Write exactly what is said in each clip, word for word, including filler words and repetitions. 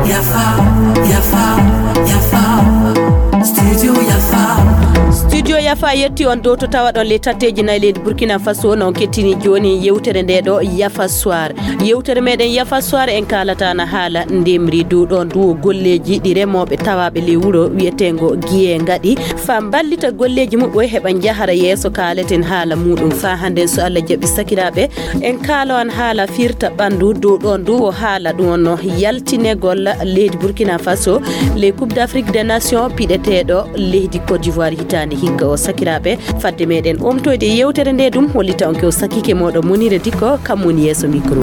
Yafa, yafa, yafa. Studio Yafa. Studio Yafa yetti on dow to tawaɗon ley tatteeji nayi leydi Burkina Faso, non kettini jooni yewtere nde ɗo Yafa Soir. Yewtere meɗen Yafa Soir en kaalata na haala ndemri dow ɗon duwo golleeji ɗi remooɓe tawaaɓe ley wuro wiyeteengo Giye ngaɗi. Faa mballita golleeji muɓɓoy heɓa njahara yeeso kaaleten haala muuɗum faa hannden so Allah jaɓi sakiraaɓe. En kaalo an haala firta ɓanndu dow ɗoon ndu o haala ɗum wonno yaltinegol leydi Burkina Faso ley Coupe d'Afrique des Nations piɗeteeɗo leydi Côte d'Ivoire hitaande hikka o sakiraaɓe. Fadde meɗen omtoyde yewtere nde ɗum hollita on ke o sakike moɗo Monire Dikko kam woni yeeso micro.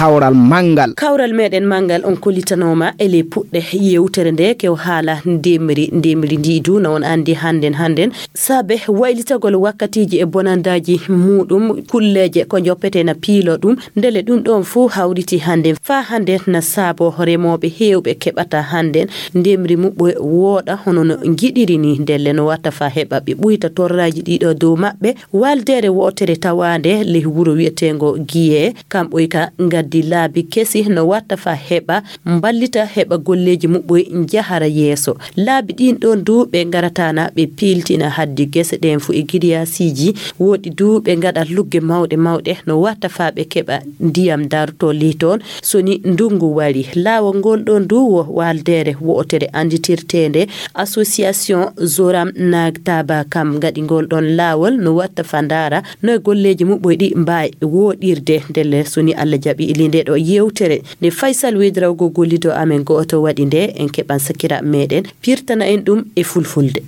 Kawral manngal. Kawral meɗen manngal on kollitanooma e ley puɗɗe yewtere nde ke o haala ndemri, ndemri ndi du na on anndi hannden hannden. Saabe waylitagol wakkatiiji e bonandaaji muuɗum, kulleeje ko njoppetee na piiloo ɗum, ndele ɗum ɗoon fuu hawriti hannden. Faa hannden na saaboo remooɓe heewɓe keɓata hannden ndemri muɓɓoy wooɗa hono no ngiɗiri ni, ndelle no watta faa heɓa ɓe ɓuyta torraaji ɗiɗo dow maɓɓe. Waaldeere wootere tawaande ley wuro wiyeteengo Giye, kamɓoy ka ngaddi laabi kesi no watta faa heɓa mballita heɓa golleeji muɓɓoy njahara yeeso. Laabi ɗiin ɗoon du ɓe ngarataana ɓe piiltina haddi gese ɗeen fuu e giriyaasiiji. Woɗi du ɓe ngaɗa lugge mawɗe mawɗe no watta faa ɓe keɓa ndiyam dartoo ley toon so ni ndunngu wari. Laawol ngol ɗoon du wo waaldeere wo'otere annditirteende Association Zoram Nagtaba kam ngaɗi ngol ɗoon laawol no watta faa ndaara no e golleeji muɓɓoy ɗi mbaawi wooɗirde ndelle so ni Allah jaɓi ili nde ɗo yewtere. Nde Faysal Wedrawgo gollido amen go'oto waɗi nde en keɓan sakiraaɓe meɗen pirtana en ɗum e fulfulde.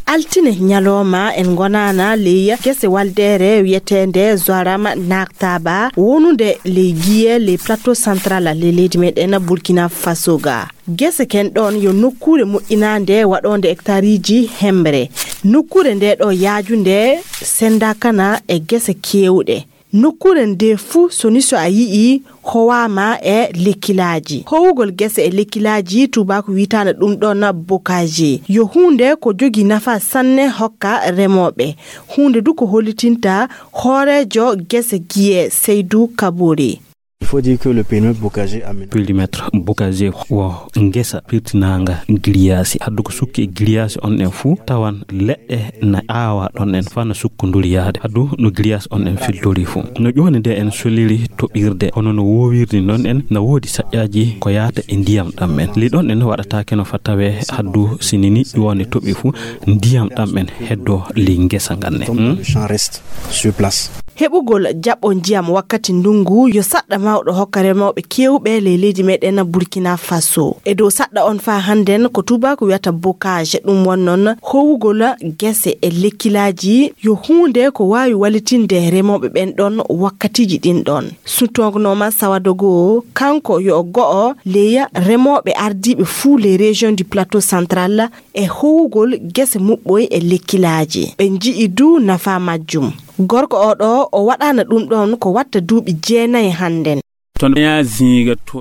Altine ñalooma en ngonaana ley gese waldeere wiyeteende Zoram Naktaba wonunde ley Giye ley plateau central ley leydi meɗen Burkina Faso ga. Gese ken ɗon yo nokkuure moƴƴinaande waɗoonde hectareiji hemre. Nokkuure nde ɗo yaajunde sendakana e gese keewɗe. Nokkuure nde fuu so ni so a yi'i howaama e lekkilaaji. Howugol gese e lekkilaaji tuubaaku wiytaana ɗum ɗon bokaje. Yo huunde ko jogii nafa sanne hokka remooɓe. Huunde du ko hollitinta hooreejo gese Giye Seydu Kabori. Il faut dire que le périmètre bocagé aménagé. Périmètre bocagé wo ngesa pirtinaanga giriyaasi. Haddu ko sukki e giriyaasi on ɗen fuu tawan leɗɗe na aawa ɗon ɗen faa na sukkonduri yahde. Haddu no giriyaasi on ɗen filtori fuu. No ƴooni nde en soliri toɓirde, hono no woowirdi ɗon ɗen na woodi saƴƴaaji ko yahata e ndiyam ɗam ɗen. Li ɗon ɗen waɗataake no fa tawee haddu si ni ni ƴooni toɓi fuu ndiyam ɗam ɗen heddoo li ngesa ngan ne. Comme dans le champ reste sur place. Heɓugol jaɓo ndiyam wakkati ndungu yo saɗɗa mawɗo hokka remooɓe keewɓe ley leydi meɗen Burkina Faso. E dow saɗɗa on faa hannden ko tuubaaku wiyata bocage, ɗum won non howugol gese e lekkilaaji yo huunde ko waawi wallitinde remooɓe ɓen ɗon wakkatiiji ɗin ɗon. Sutognooma Sawadogo, kanko yo o go'o ley remooɓe ardiiɓe fuu ley région du plateau central e howugol gese muɓɓoy e lekkilaaji. Ɓe nji'i du nafa majjum. Gorko o ɗo o waɗaana ɗum ɗon ko watta duuɓi jeenayi hannden.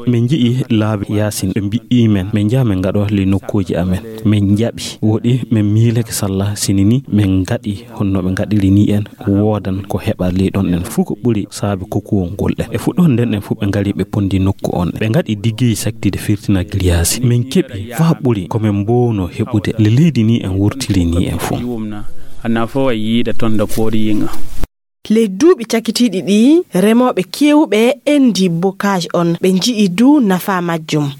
Min nji'i laabi yaasin, ɓe mbi'i men, min njaha min ngaɗo li nokkuuji amen. Min njaɓi, woɗi min miilake salla sini ni min ngaɗi honno ɓe ngaɗiri ni en, woodan ko heɓa li ɗon en fuu ko ɓuri saabi kokuwol ngol ɗen. E fuɗɗoode nden en fuu ɓe ngari ɓe pondi nokku on. Ɓe ngaɗi diggeyi saktide firtina giriyaasi. Min keɓi faa ɓuri ko min mboowno heɓude li leydi ni en wurtiri ni en fuu. Anna fo a yiida ton da koori yinga. Ley duuɓi cakitiiɗi ɗi, remooɓe keewɓe endi bocage on, ɓe nji'i du nafa majjum.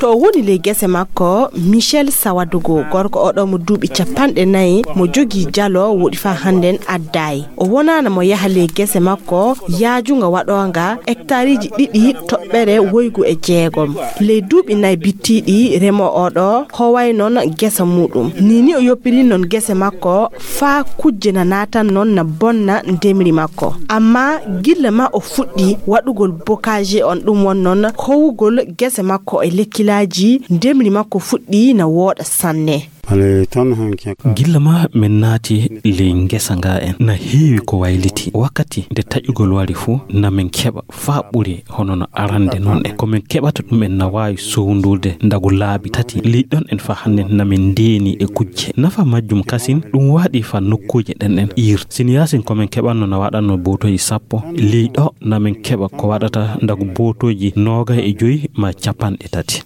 To o woni ley gese makko, Michel Sawadogo, gorko oɗo mo duuɓi capanɗe nayi, mo jogii jalo woɗi faa hannden addaay. O wonaana mo yaha ley gese makko, yaajunga waɗoonga hectareiji ɗiɗi toɓɓere woygu e jeegom. Ley duuɓi nayi bittiiɗi, remoo oɗo howay non gesa muuɗum. Ni ni o yoppiri non gese makko faa kujje na naatan non na bonna ndemri makko. Amma gilla ma o fuɗɗi waɗugol bocage on, ɗum won non howugol gese makko e lekkilaaji, ndemri makko fuɗɗi na wooɗa sanne. Gilla ma min naati ley ngesa nga en, na heewi ko wayliti. Wakkati nde taƴugol wari fu, na min keɓa faa ɓuri hono no arande non en. Ko min keɓata ɗum en na waawi sowndude ndagu laabi tati. Ley ɗon en faa hannden na min ndeeni e kujje. Nafa majjum kasin, ɗum waɗi faa nokkuuje ɗen en iir. Sini yaasin ko min keɓanno na waɗanno bootooji sappo, ley ɗo na min keɓa ko waɗata ndagu bootooji noogay e joy maa capanɗe tati.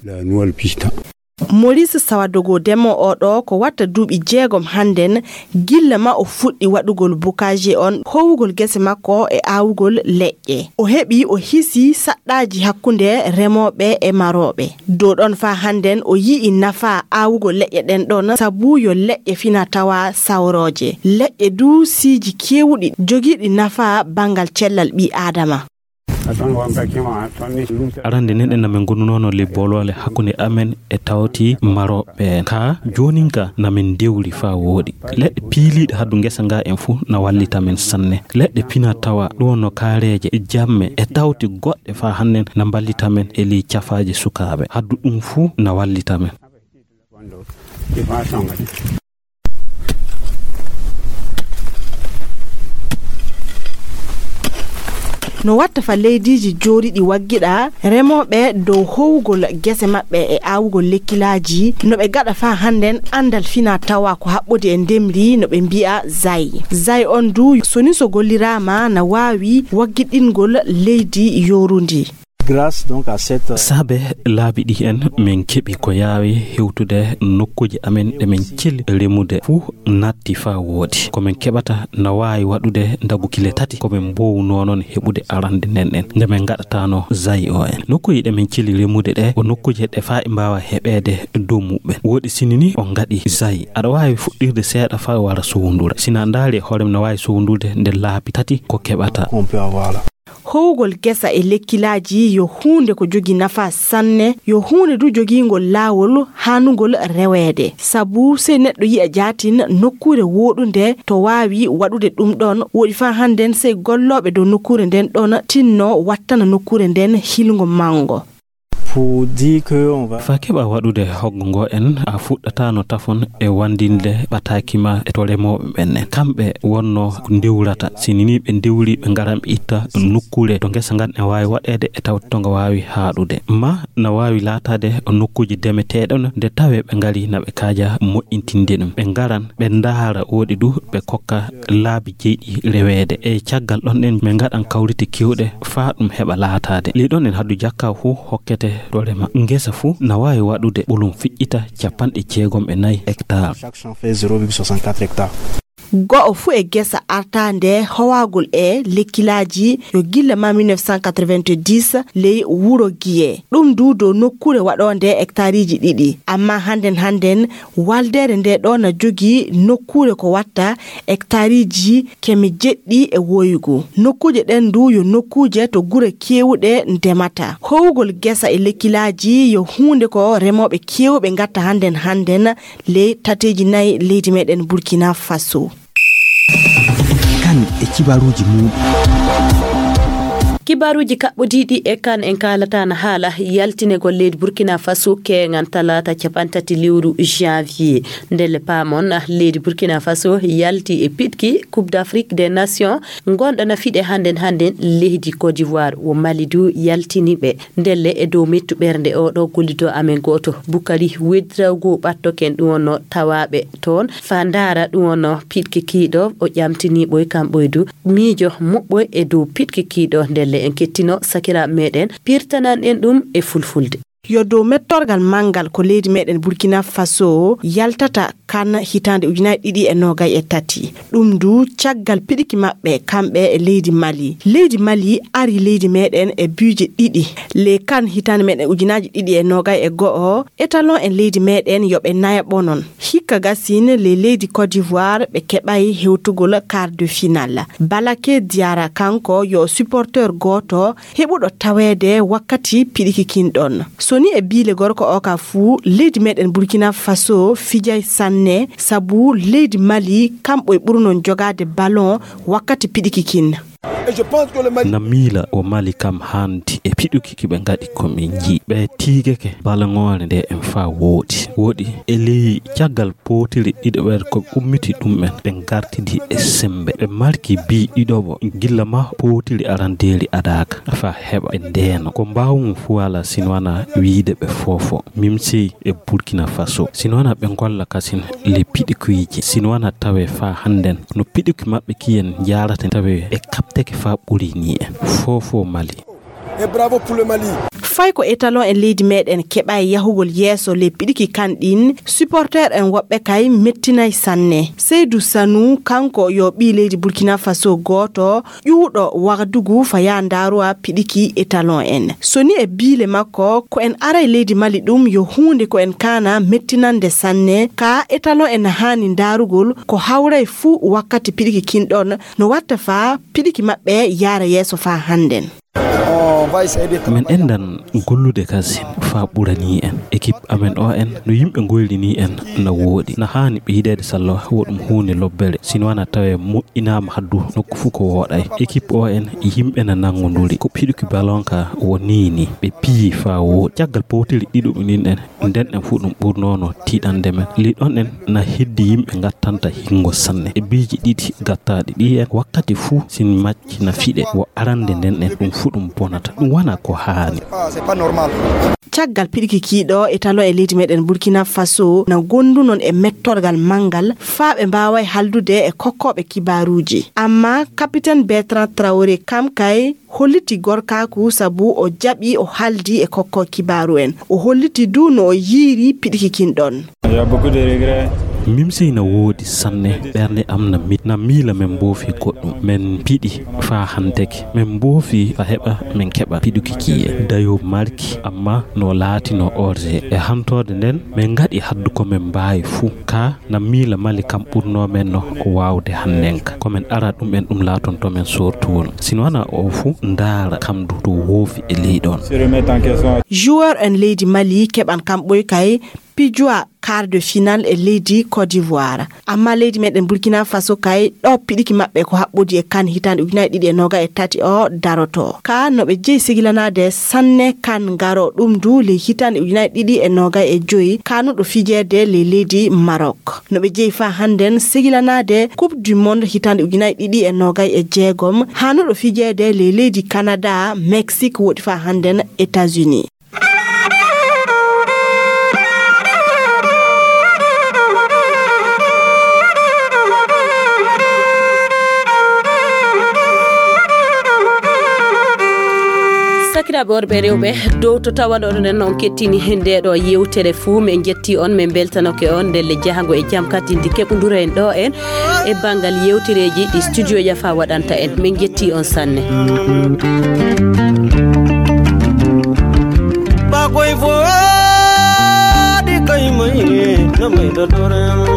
Maurice Sawadogo, demoo oo ɗoo ko watta duuɓi jeegom hannden, gilla ma o fuɗɗi waɗugol bukaaji on, howugol gese makko e aawugol leƴƴe. O heɓi, o hisii saɗɗaaji hakkunde remooɓe e marooɓe. Dow ɗon faa hannden o yi'i nafaa aawugol leƴƴe ɗen ɗon, sabu yo leƴƴe fina tawa sawrooje. Leƴƴe duu siiji keewuɗi jogiiɗi nafaa banngal cellal ɓii Aadama. Arande nden en amen gonunoono ley booloole hakkunde amen e tawti marooɓe en. Kaa joonin ka na min ndewri faa wooɗi. Leɗɗe piiliiɗe haddu ngesa nga en fuu na wallita men sanne. Leɗɗe pina tawa ɗum wonno kaareeje, jamme e tawti goɗɗe faa hannden na mballita men e ley cafaaje sukaaɓe. Haddu ɗum fuu na wallita men. No watta fa leydiiji jooriiɗi waggiɗa remooɓe dow howugol gese maɓɓe e aawugol lekkilaaji, no ɓe gaɗa faa hannden anndal fina tawa ko haɓɓodi e ndemri no ɓe mbi'a zay. Zay on duu, so ni so golliraama, na waawi waggiɗingol leydi yoorundi. Grâce donc à cette, euh, Saabe laabi ɗi en, min keɓi ko yaawi hewtude nokkuuji amen ɗe min cili remude fuu natti faa wooɗi. Ko min keɓata na waawi waɗude ndagu kile tati ko min mboowunoo non heɓude arande nden en, nde min ngaɗataano zay o en. Nokkuuji ɗe min cili remude ɗe, ko nokkuuji ɗe faa e mbaawa heɓeede dow muɓɓen. Wooɗi sini ni o ngaɗi zay. Aɗa waawi fuɗɗirde seeɗa faa wara sowndura. Sina ndaari hoore mum na waawi sowndurde nde laabi tati ko keɓata. Howugol gesa e lekkilaaji yo huunde ko jogii nafaa sanne, yo huunde du jogiingol laawol haanugol reweede. Sabu sey neɗɗo yi'a jaatin nokkuure wooɗunde to waawi waɗude ɗum ɗon, woɗi faa hannden sey gollooɓe dow nokkuure nden ɗon tinno wattana nokkuure nden hilngo manngo. Pour dire que on va Faa keɓa waɗude hoggo ngo en, a fuɗɗataano tafon e wandinde ɓataaki ma e to remooɓe ɓen en. Kamɓe wonno ko ndewrata. Sini ni ɓe ndewri, ɓe ngaran ɓe itta nokkuure to ngesa ngan e waawi waɗeede e tawti to nga waawi haaɗude. Ma na waawi laataade nokkuuje demeteeɗe no nde tawee ɓe ngari na ɓe kaaja moƴƴintinde ɗum. Ɓe ngaran, ɓe ndaara woɗi du, ɓe kokka laabi jeyɗi reweede. E caggal ɗon ɗen, min ngaɗan kawrite keewɗe faa ɗum heɓa laataade. Ley ɗon en haddu jakka fuu hokkete to rema. Ngesa fuu na waawi waɗude ɓolum fiƴƴita capanɗe jeegom e nayi hectare. Chaque champ fait zéro virgule soixante-quatre hectares. Go'o fuu e gesa artaande howagol e lekkilaaji yo gilla ma mille neuf cent quatre-vingt-dix ley wuro Giye. Ɗum du dow nokkuure waɗoonde hectareiji ɗiɗi. Amma hannden hannden, waldeere nde ɗo na jogii nokkuure ko watta hectareiji keme jeɗɗi e woygu. Nokkuuje ɗen du yo nokkuuje to gure keewuɗe ndemata. Howugol gesa e lekkilaaji yo huunde ko remooɓe keewuɓe ngatta hannden hannden ley tateeji nayi leydi meɗen Burkina Faso. Kan e kibaruuji muuɗum. Kibaruuji kaɓɓodiiɗi e kan en kaalata na haala yaltinegol leydi Burkina Faso keeŋan talaata capantati lewru janvier. Ndelle paamon, leydi Burkina Faso yalti e piɗki Coupe d'Afrique des Nations ngonɗo na fiɗe hannden hannden leydi Côte d'Ivoire, wo Mali du yaltini ɓe. Ndelle e dow mettu ɓernde o ɗo gollido amen gooto, Bukari Wedraogo ɓattoken ɗum wonno tawaaɓe toon, faa ndaara ɗum wonno piɗki kiiɗo, o ƴamtini ɓoy kam ɓoy du miijo muɓɓoy e dow piɗki kiiɗo. Ndelle en kettino sakiraaɓe meɗen, pirtanan en ɗum e fulfulde. Yo dow mettorgal manngal ko leydi meɗen Burkina Faso yaltata kan hitaande ujunaaji ɗiɗi e noogay e tati. Ɗum du caggal piɗiki maɓɓe kamɓe e leydi Mali. Leydi Mali ari leydi meɗen e biije ɗiɗi. Ley kan hitaande meɗen ujunaaji ɗiɗi e noogay e go'o, étalon en leydi meɗen yo ɓe nayaɓo non. Hikka gasin ley leydi Côte d'Ivoire ɓe keɓay hewtugol quart de finale. Balake Diarra kanko yo supporteur gooto heɓuɗo taweede wakkati piɗiki kin ɗon. So ni e biile gorko o ka fuu, leydi meɗen Burkina Faso fijay sanne, sabu leydi Mali kamɓe ɓurnon jogaade ballon wakkati piɗiki kin. Na miila o Mali kam handi e piɗuki ki ɓe ngaɗi ko min njii. Ɓe tiigeke balaŋoore nde en faa wooɗi. Wooɗi e ley caggal pootiri ɗiɗo ɓeer ko ummiti ɗum en, ɓe ngartidi e sembe. Ɓe marki bi ɗiɗoɓo gilla ma pootiri arandeeri adaaka faa heɓa ɓe ndeeno. Ko mbaawum fu wala sin wana wiide ɓe foofo. Mimsey e Burkina Faso. Sin wana ɓe ngolla kasin le piɗikuiji. Sin wana tawe faa handen. No piɗuki maɓɓe kiyen jaarata tawe e kaɓteke faa ɓuri ni en. Foofo Mali. E bravo pour le Mali. Fay ko étalon en leydi meɗen keɓa e yahugol yeeso le piɗiki kan ɗin, supporter en woɓɓe kay mettinay sanne. Seydou Sanou, kanko yo ɓii leydi Burkina Faso gooto, ƴuuɗo Wagadugu fa yaa ndaaruwa piɗiki étalon en. So ni e biile makko, ko en aray leydi Mali ɗum yo huunde ko en kaana mettinande sanne, ka étalon en haani ndaarugol ko hawray fuu wakkati piɗiki kin ɗon, no watta faa piɗiki maɓɓe yaara yeeso faa hannden. Min endan gollude kasin faa ɓurani en. Ekip amen o en no yimɓe ngoyri ni en na wooɗi. Na haani ɓe yiɗeede sallo wo ɗum huunde lobbere. Sino wana tawe moƴƴinaama haddu nokku fuu ko wooɗay. Ekip o en yimɓe na nanngonduri. Ko piɗuki balon ka wo ni ni. Ɓe piyi faa wooɗi. Caggal powtiri ɗiɗo ɗin en. Nden en fuu ɗum ɓurnoono tiiɗande men. Ley ɗon en na heddi yimɓe ngattanta hingo sanne. E biiji ɗiɗi gattaaɗi ɗi en wakkati fuu sin macci na fiɗe. Wo arande nden en ɗum fuu ɗum bonata. Ɗum wana ko haani. Caggal piɗiki kiiɗo e talo e leydi meɗen Burkina Faso na gondu non e mettorgal mangal faa ɓe mbaaway haldude e kokkooɓe kibaaruuji. Amma Capitaine Bertrand Traoré kam kay holliti gorkaaku sabu o jaɓi o haldi e kokko kibaaru en. O holliti du no o yiiri piɗiki kin ɗon. Mimsey na woodi sanne, ɓernde am na mit-, na miila men mboofi goɗɗum. Men piɗi faa hanteke. Men mboofi faa heɓa men keɓa piɗuki kiye. Dayo marki, amma no laatino orge. E hantoode nden, men ngaɗi haddu ko men mbaawi fuu. Ka na miila Mali kam ɓurnoo men no ko waawde hannenka. Ko men ara ɗum en ɗum laatonto men soortuwol. Sino wana o fuu ndaara kam du to woofi e ley ɗon. Joueur en leydi Mali keɓan kam ɓoy kay pijuwa quart de finale e leydi Côte d'Ivoire. Amma leydi meɗen Burkina Faso kay ɗo piɗiki maɓɓe ko haɓɓodi e kan hitande ujunaaji ɗiɗi e noga e tati o daroto. Ka no ɓe jeyi segilanaade sanne kan ngaro ɗum du ley hitande ujunaaji ɗiɗi e noga e joyi kanuɗo fijeede ley leydi Maroc. No ɓe jeyi faa hannden segilanaade Coupe du Monde hitande ujunaaji ɗiɗi e noga e jeegom hanuɗo fijeede ley leydi Canada, Mexique woɗi faa hannden États-Unis. Sakiraaɓe worɓe e rewɓe, dow to tawa ɗo ɗon en on kettini nde ɗo yewtere fuu, men jetti on, men beltanoke on ndelle jahango e jam katindi keɓundura en ɗo en e banngal yewtereeji ɗi studio Yafa waɗanta en. Men jetti on sanne. Bakoy fo di kay mai na mai da doren.